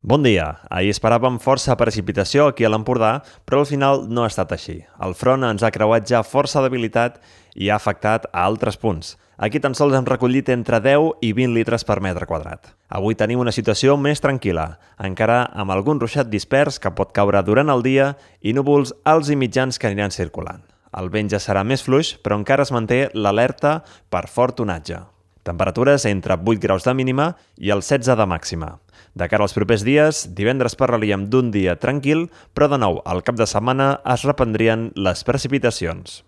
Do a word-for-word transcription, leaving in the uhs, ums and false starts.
Bon dia. Ahir esperàvem força precipitació aquí a l'Empordà, però al final no ha estat així. El front ens ha creuat ja força debilitat i ha afectat a altres punts. Aquí tan sols hem recollit entre deu i vint litres per metre quadrat. Avui tenim una situació més tranquil·la, encara amb algun ruixat dispers que pot caure durant el dia i núvols alts i mitjans que aniran circulant. El vent ja serà més fluix, però encara es manté l'alerta per fort onatge. Temperatures entre vuit graus de mínima i el setze de màxima. De cara als propers dies, divendres parlaríem d'un dia tranquil, però de nou, al cap de setmana es reprendrien les precipitacions.